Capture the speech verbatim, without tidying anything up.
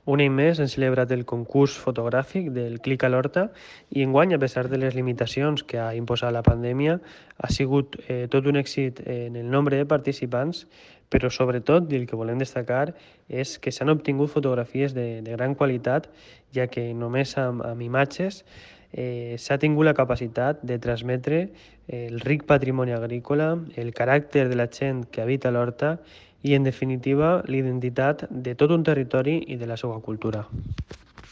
Un any més hem celebrat el concurs fotogràfic del Clic a l'Horta i enguany, a pesar de les limitacions que ha imposat la pandèmia, ha sigut eh, tot un èxit en el nombre de participants, però sobretot, i el que volem destacar, és que s'han obtingut fotografies de, de gran qualitat, ja que només amb, amb imatges eh, s'ha tingut la capacitat de transmetre el ric patrimoni agrícola, el caràcter de la gent que habita l'horta i, en definitiva, l'identitat de tot un territori i de la seva cultura.